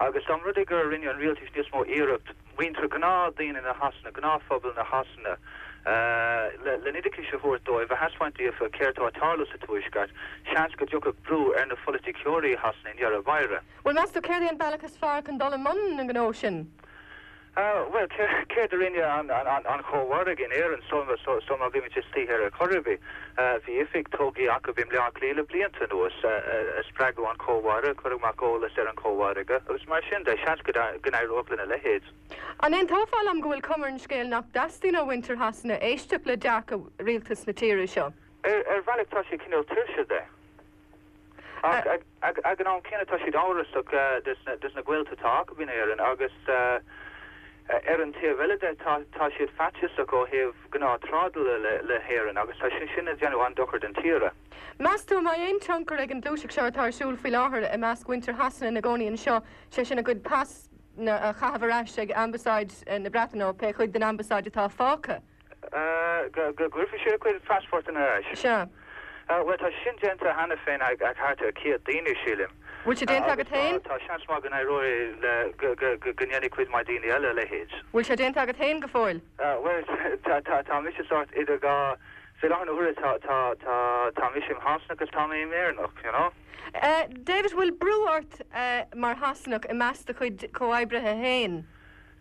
Agus dá mba rud é gur rinne an rialtais níos mó iarracht muintir gnáthdaoine na Shasana, gnáthphobal na Shasana, le n-oideachais a thabhairt dóibh, a thaispeáint daofa céard atá ag tarlú sa Tuaisceart, seans go dtiocfadh brú ar na pholaiticeoirí Shasana i ndeireadh báire. Bhuel, meas tú céard é an bealach is fearr chun dul i mbun an ghnó sin? Bhuel, céard a rinne an Chomhargadh in Éirinn sul má bhí muid istigh ar chor ar bith? Bhí oifig tógtha acu i mBleá Cliath le blianta anuas a spreagadh an Chomhargadh, a cuireadh amach eolas ar an Chomhargadh agus mar sin de. Seans go n-éireodh lena leithéid. An aontófá liom go bhfuil cuma ar an scéal nach dteastaíonn ó mhuintir Shasana éisteacht le dearcadh rialtas na tíre seo? Ar bhealach tá siad cineál tuirseach de. Ach ag an am céanna tá siad amhrasach des na gaolta atá acu in Éirinn agus ar an taobh eile de tá siad faitíosach ó thaobh gnáth trádála le hÉirinn agus tá sé sin ag déanamh an-dochar don tír. Meas tú an mbeidh aon tionchar ag an gluaiseacht seo atá ar siúl faoi láthair i measc mhuintir Shasana ina gcónaí anseo, sé sin a gcuid pasanna a chaitheamh ar ais ag Ambasáid na Breataine nó pé chuid den Ambasáid atá fágtha? Go gcuirfidh siad a gcuid phassportanna ar ais? Sea. Bhuel, tá sin déanta cheana féin ag thart ar 100 daoine, sílim. Bhfuil sé déanta agat féin? Tá seans maith go n-éireoidh le, go ndéanfaidh cuid mhaith daoine eile a leithéid. Bhfuil sé déanta agat féin go fóill? Bhuel, tá mise sórt idir dhá, fé láthair na huaire tá mise im Shasanach agus tá mé im Éireannach, you know. David, bhfuil brú ort mar Shasanach i measc do chuid comhoibrithe féin?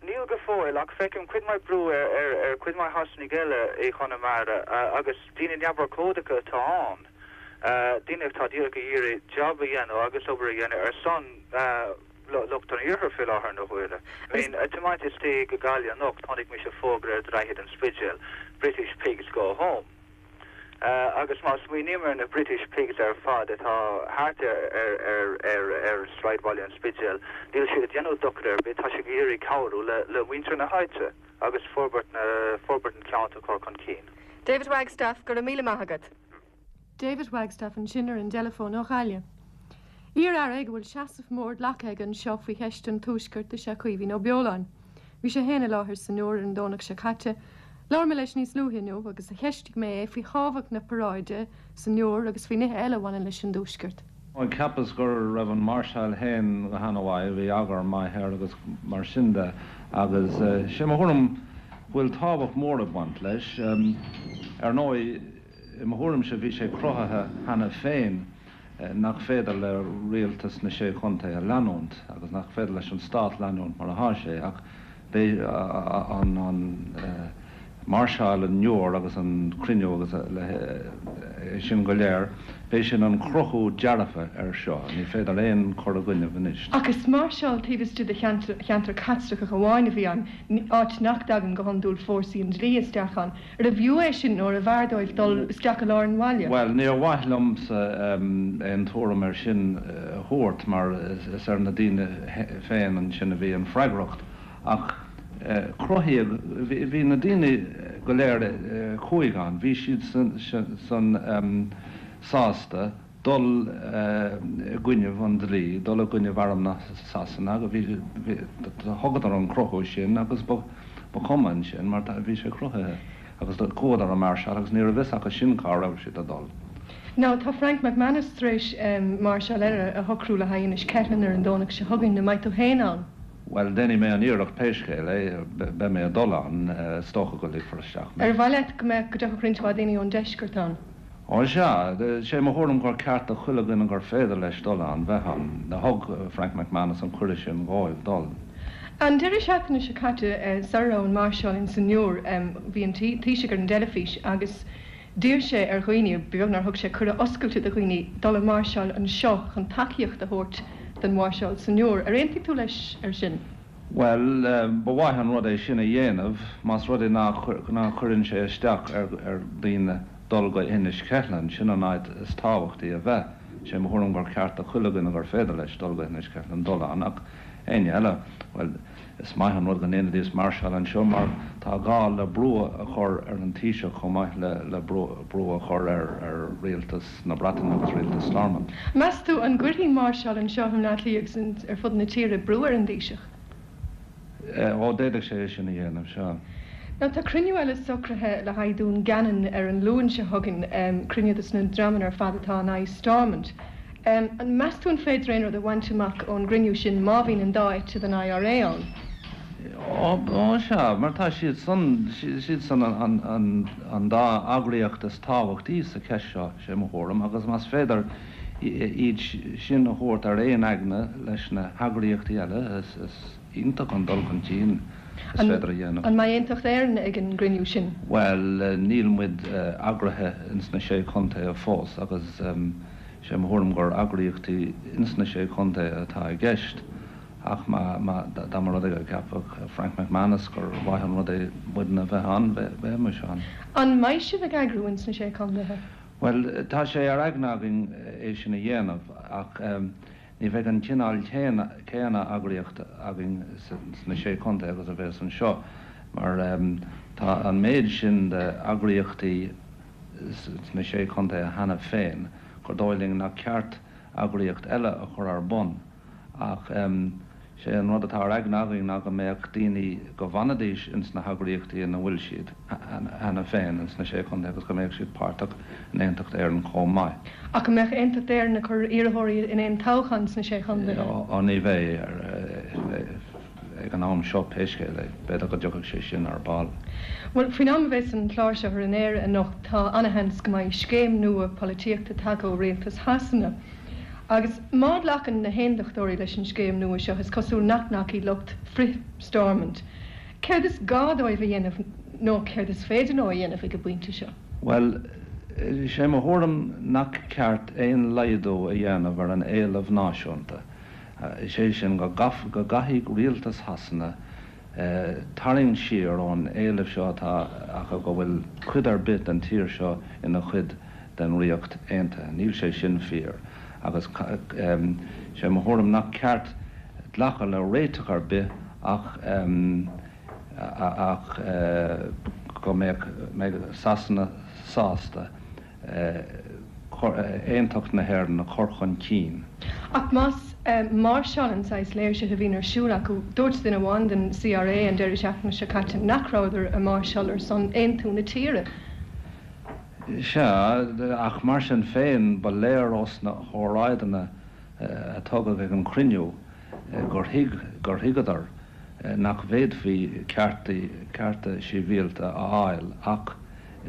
Níl go fóill, ach feicim cuid mhaith brú ar chuid mhaith Shasanaigh eile i Chonamara, agus daoine neamhurchóideacha atá ann, daoine atá díreach ag iarraidh jab a dhéanamh agus obair a dhéanamh ar son lucht an Iarthair fé láthair na huaire. I mean, ag tiomáint istigh go Gaillimh anocht, chonaic mise fógra ar Droichead an Spidéil, British Pigs Go Home. Agus má smaoiním ar na British Pigs ar fad atá thart ar sráidbhaile an Spidéil, níl siad ag déanamh dochar ar bith, tá siad ag iarraidh cabhrú le muintir na háite agus forbairt an cheantair a chur chun cinn. David Wagstaffe, go raibh míle maith agat. David Wagstaffe ansin ar an dteileafón ó Ghaillimh. Iar-aire ag a bhfuil seasamh mór glactha aige anseo faoi cheist an Tuaiscirt is ea Caoimhín Ó Beoláin. Bhí sé féin i láthair san Iúr ar an Domhnach seo caite. Labhair mé leis níos luaithe inniu agus cheistigh mé é faoi thábhacht na paráide san Iúr agus faoi nithe eile a bhaineann leis an dTuaisceart. Cheapas go raibh an máirseáil féin go hana-mhaith, bhí eagar maith air agus mar sin de agus sé mo thuairim go bhfuil tábhacht mhór ag baint leis. Ar ndóigh, i mo thuairimse bhí sé cruthaithe cheana féin nach féidir le rialtas na Sé Chontae a leanúint agus nach féidir leis an stát leanúint mar atá sé ach. Beidh an máirseáil an Iúir agus an cruinniú agus é sin go léir, beidh sin an cruthú dearfa ar seo. Ní féidir aon chur i gcoinnibh anois. Ach is máirseáil taobh istigh de cheantar Caitliceach amháin a bhí ann, áit nach dtagann go hiondúil fórsaí an dlí isteach ann. Arbh fhiú é sin nó arbh fhearr dóibh dul isteach i lár an bhaile? Bhuel, níor mhaith liomsa aon tuairim ar sin a thabhairt mar is ar na daoine féin ansin a bhí an freagracht. Ach cruthaíodh, bhí na daoine go léir a chuaigh ann, bhí siad san sásta dul i gcoinnibh an dlí, dul i gcoinnibh arm na Sasana agus bhí, thugadar an cruthú sin agus ba chuma ansin mar bhí sé cruthaithe agus chuadar ag máirseáil agus ní raibh fhios acu sin cá raibh siad ag dul. Now tá Frank McManus tar éis máirseáil eile a shocrú le haghaidh Inis Ceithleann ar an Domhnach seo chugainn, an mbeidh tú féin ann? Bhuel, déanfaidh mé an iarracht pé scéal é, beidh mé ag dul ann, is dócha go ligfear isteach mé. Ar mhaith leat go mbeadh, go dtiocfadh roinnt mhaith daoine ón deisceart ann? Ó sea, sé mo thuairim gur ceart do chuile dhuine gur féidir leis dul ann, bheith ann. Thug Frank McManus an cuireadh sin dhóibh dul. An deireadh seachtaine seo caite, sara raibh an máirseáil ins an Iúr, bhí an Taoiseach ar an dteilifís agus D'iarr sé ar dhaoine, ba bheag nár thug sé cuireadh oscailte do dhaoine, dul ag máirseáil anseo chun tacaíocht a thabhairt don mháirseáil san Iúr. Ar aontaigh tú leis ar sin? Bhuel, ba mhaith an rud é sin a dhéanamh, más rud é ná cuireann sé isteach ar dhaoine dul go Inis Ceithleann, sin an áit is tábhachtaí a bheith. Sé mo thuairim gur ceart do chuile dhuine gur féidir leis dul go hInis Ceithleann dul ann, ach éinne eile, bhuel, Is maith an rud go ndéanfaidís máirseáil anseo mar tá gá le brú a chur ar an Taoiseach chomh maith le brú a chur ar rialtas na Breataine agus rialtas Stormont. Meas tú an gcuirfidh máirseáil anseo i mBleá Cliath agus ar fud na tíre brú ar an dTaoiseach? Ó, d'fhéadfadh sé é sin a dhéanamh, sea. Now tá cruinniú eile socraithe le haghaidh Dún Geanainn ar an Luan seo chugainn, cruinniú dos na dreamanna ar fad atá in aghaidh Stormont. An meas tú an féidir aon rud a bhaint amach ón gcruinniú sin má bhíonn an dá eite den IRA ann? Ó, sea, mar tá siad san, siad san an dá eagraíocht is tábhachtaí sa cheist seo, sé mo thuairim, agus más féidir iad sin a thabhairt ar aon aigne leis na heagraíochtaí eile, is iontach an dul chun cinn is féidir a dhéanamh. An mbeidh Aontacht Éireann ag an gcruinniú sin? Bhuel, níl muid eagraithe ins na Sé Chontae fós agus sé mo thuairim gur eagraíochtaí ins na Sé Chontae atá i gceist ach má, má, dá mba rud é go gceapfadh Frank McManus gur mhaith an rud é muidne a bheith ann, bheimis ann. An mbeidh sibh ag eagrú ins na Sé Chontaetha? Bhuel, tá sé ar aigne againn é sin a dhéanamh ach ní bheidh an cineál céanna eagraíocht againn sna Sé Chontae agus a bheas anseo mar tá an méid sin de eagraíochtaí sna Sé Chontae cheana féin gur dóigh linn nach ceart eagraíocht eile a chur ar bun ach sé an rud atá ar aigne againn ná go mbeadh daoine go bhfanfaidís ins na heagraíochtaí ina bhfuil siad cheana féin ins na Sé Chontae agus go mbeadh siad páirteach in Aontacht Éireann chomh maith. Ach an mbeadh Aontacht Éireann ag cur iarrthóirí in aon toghchán sna Sé Chontae? Ó ní bheidh. Ag an am seo, pé scéal é, b'fhéidir go dtiocfaidh sé sin ar ball. Bhuel, faoin am a bheas an clár seo ar an aer anocht, tá ana-sheans go mbeidh scéim nua polaitíochta tagtha ó rialtas Shasana. Agus má ghlacann na hAondachtóirí leis an scéim nua seo, is cosúil nach nglacfaidh lucht frith-Stormont. Céard is gá dóibh a dhéanamh, nó céard is féidir leo a dhéanamh ag an bpointe seo? Bhuel, sé mo thuairim nach ceart aon laghdú a dhéanamh ar an éileamh náisiúnta. Is é sin go gcaithfidh rialtas Shasana tarraingt siar ón éileamh seo atá acu go bhfuil cuid ar bith den tír seo ina chuid den Ríocht Aontaithe. Níl sé sin fíor agus sé mo thuairim nach ceart glacadh le réiteach ar bith ach ach go mbeadh Sasana sásta aontacht na hÉireann a chur chun cinn. Ach más máirseáil an saghas léirsithe a bhíonn ar siúl acu, dúirt duine amháin den CRA an deireadh seachtaine seo caite nach rabhadar ag máirseáil ar son aontú na tíre. Sea, ach mar sin féin, ba léir ós na hóráideanna a tugadh ag an chruinniú gur thuig, gur thuigeadar nach bhféadfaí cearta sibhialta a fháil ach i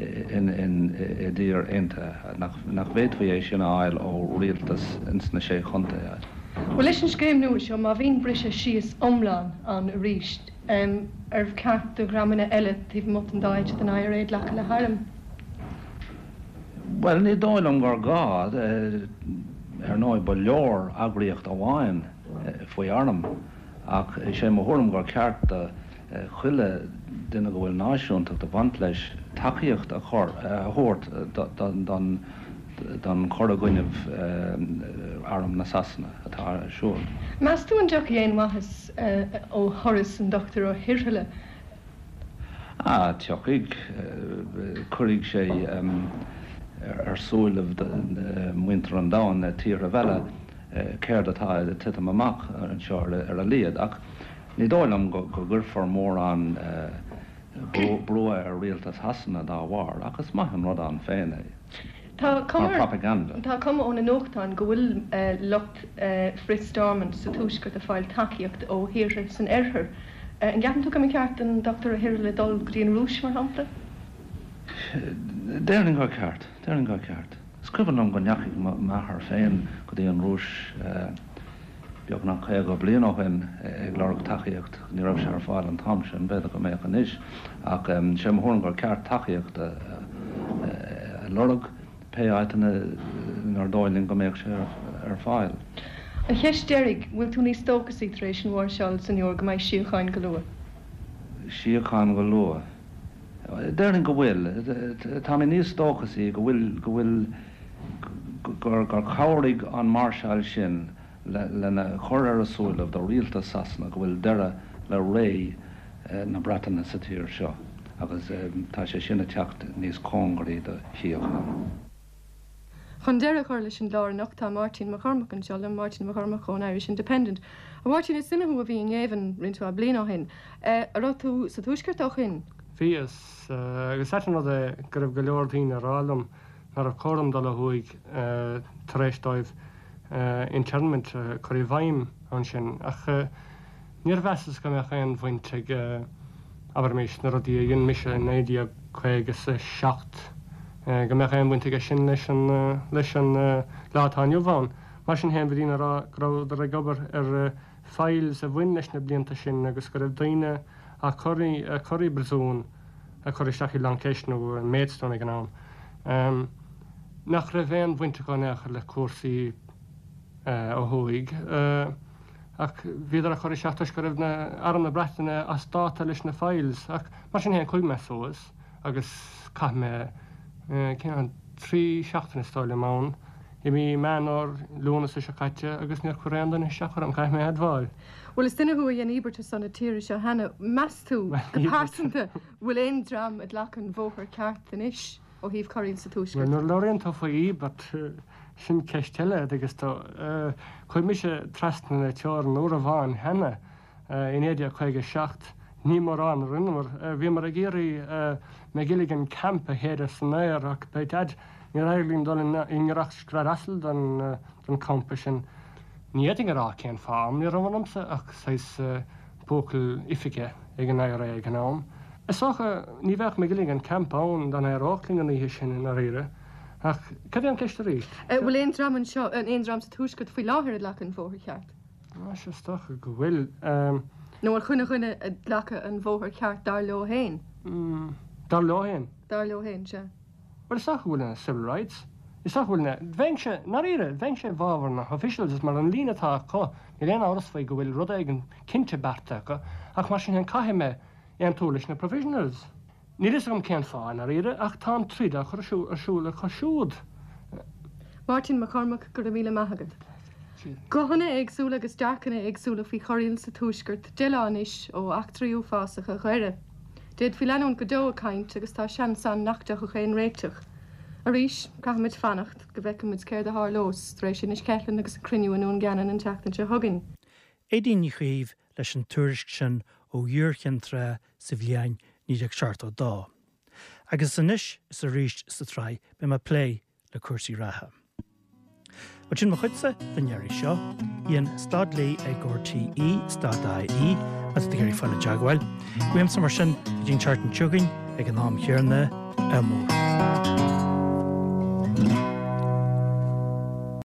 dtír aontaithe, nach bhféadfaí é sin a fháil ó rialtas ins na Sé Chontae. Bhuel, leis an scéim nua seo, má bhíonn briseadh síos iomlán ann arís. Ar cheart do dhreamanna eile taobh amuigh den dá eite den IRA glacadh le hairm? Bhuel, ní dóigh liom gur gá. Ar ndóigh, ba leor eagraíocht amháin faoi arm, ach is é mo thuairim gur ceart do chuile duine go bhfuil náisiúntacht ag baint leis tacaíocht a chur, a thabhairt don don chur i gcoinnibh arm na Sasana atá ar siúl. Meas tú an dtiocfaidh aon mhaitheas ó thuras an Dr Ó hIrghile? Ah, tiocfaidh. Cuirfidh sé ar súilibh muintir an domhain, tíortha eile, céard atá ag titim amach anseo ar a laghad. Ach ní dóigh liom go gcuirfear mórán brú ar rialtas Shasana dá bharr, ach is maith an rud ann féin é Tá cuma mar propaganda. Tá cuma ó na nuachtáin go bhfuil lucht frith-Stormont sa Tuaisceart ag fáil tacaíocht ó thíortha san Oirthear. An gceapann tú go mba cheart don Dr Ó hIrghile dul go dtí an Rúis, mar shampla? Déarfainn gur ceart. Déarfainn gur ceart. Is cuimhin liom go ndeachaigh m'athair féin go dtí an Rúis beagnach 50 bliain ó shin ag lorg tacaíocht. Ní raibh sé ar fáil an t-am sin, b'fhéidir go mbeadh anois, ach sé mo thuairim gur ceart tacaíocht a lorg pé áiteanna inar dóigh linn go mbeadh sé ar fáil. An cheist deiridh, bhfuil tú níos dóchasaí tar éis an mháirseáil san inniu go mbeidh síocháin go luath? Síocháin go luath? Déarfainn go bhfuil. Tá mé níos dóchasaí go bhfuil, go bhfuil, gur, gur chabhraigh an máirseáil sin lena chur ar a súilibh do rialtas Sasana go bhfuil deireadh le ré na Breataine sa tír seo agus tá sé sin ag teacht níos cóngaraí do shíocháin. Chun deireadh a chur leis an gclár anocht tá Máirtín Mac Cormaic anseo liom, Máirtín Mac Cormaic ón Irish Independent. A Mháirtín, is duine thú a bhí i ngéibheann roinnt mhaith bliain ó shin. An raibh tú sa Tuaisceart ó shin? Bhíos. Agus is ait an rud é go raibh go leor daoine ag rá liom nach raibh cóir dom dul ó thuaidh tar éis dóibh internment a chur i bhfeidhm ansin. Ach níor mheasas go mbeadh aon bhaint ag, abraimis, na rudaí a dhein mise i 1957, go mbeadh aon bhaint aige sin leis an, leis an lá atá inniu ann. Mar sin féin, bhí daoine ag rá go rabhadar ag obair ar files a bhain leis na blianta sin agus go raibh daoine á cur, á cur i bpríosún, á cur isteach i Long Kesh nó i Maidstone ag an am, nach raibh aon bhaint acu in aon chor le cúrsaí ó thuaidh. Ach bhíodar á cur isteach toisc go raibh na, Arm na Breataine as dáta leis na files. Ach mar sin féin, chuaigh mé suas. agus chaith mé cén 3 seachtaine is dóigh liom ann i mí Meán Fhómhair, Lúnasa seo caite agus níor chuir aon duine isteach orm, caithfidh mé a admháil. Bhuel is duine thú a dhein íobairt ar son na tíre seo cheana, meas tú, go pearsanta, bhfuil aon dream ag glacadh an bhóthair ceart anois ó thaobh corraíl sa Tuaisceart? Bhuel nuair a labhraíonn tú faoi íobairt, sin ceist eile, agus tú, chuaigh mise trasna na teorann uair amháin cheana I 1957, ní mórán a rinneamar. Bhíomar ag iarraidh Magilligan Camp a shéideadh san aer ach by dad, níor éirigh linn dul i ngiorracht scread asail don champa sin. Ní fhéadfainn a rá cén fáth, ní raibh ionamsa ach saghas buachaill oifige ag an IRA ag an am. Is dócha, ní bheadh Magilligan Camp ann dá n-éireodh linn an oíche sin i ndáiríre. Ach cad é an ceist arís? Bhfuil aon dream anseo, aon dream sa Tuaisceart faoi láthair ag glacadh an bhóthair cheart? Sea, is dócha go bhfuil. Nó an chuile dhuine ag glacadh an bhóthair cheart dar leo féin? Dar leo féin? Dar leo féin, sea. Bhuel, is dócha go bhfuil na civil rights, is dócha go bhfuil na, bheinnse, i ndáiríre, bheinnse i bhfabhar na officials is mar an líne atá acu, níl aon amhras faoi go bhfuil rud éigin cinnte beartaithe acu, ach mar sin féin caithfidh mé aontú leis na provisionals. Níl fhios agam cén fáth, i ndáiríre, ach tá an troid á chur ar siúl acu siúd. Máirtín Mac Cormaic, go raibh míle maith agat. Guthanna éagsúla agus dearcanna éagsúla faoi chorraíl sa Tuaisceart 10 lá anois ó eachtraí uafásacha Dhoire. D'fhéadfaí leanúint go deo ag caint agus tá seans ann nach dtiocfadh aon réiteach. Arís, caithfimid fanacht go bhfeicfimid céard a tharlós tar éis Inis Ceithleann agus an cruinniú i nDún Geanainn an tseachtain seo chugainn. Aedín Ní Chaoimh leis an tuairisc sin ó Iúr Chinn Trá sa bhliain 1972. Agus anois is arís sa tsraith beidh mé ag plé le cúrsaí reatha. Bhuel sin mo chuidse don iarraidh seo. Dhein stad Lee ag RTÉ stad IE má tá tú ag iarraidh fáil i dteagmháil. Uaimse mar sin go dtí an tseachtain seo chugainn ag an am chéanna, ádh mór.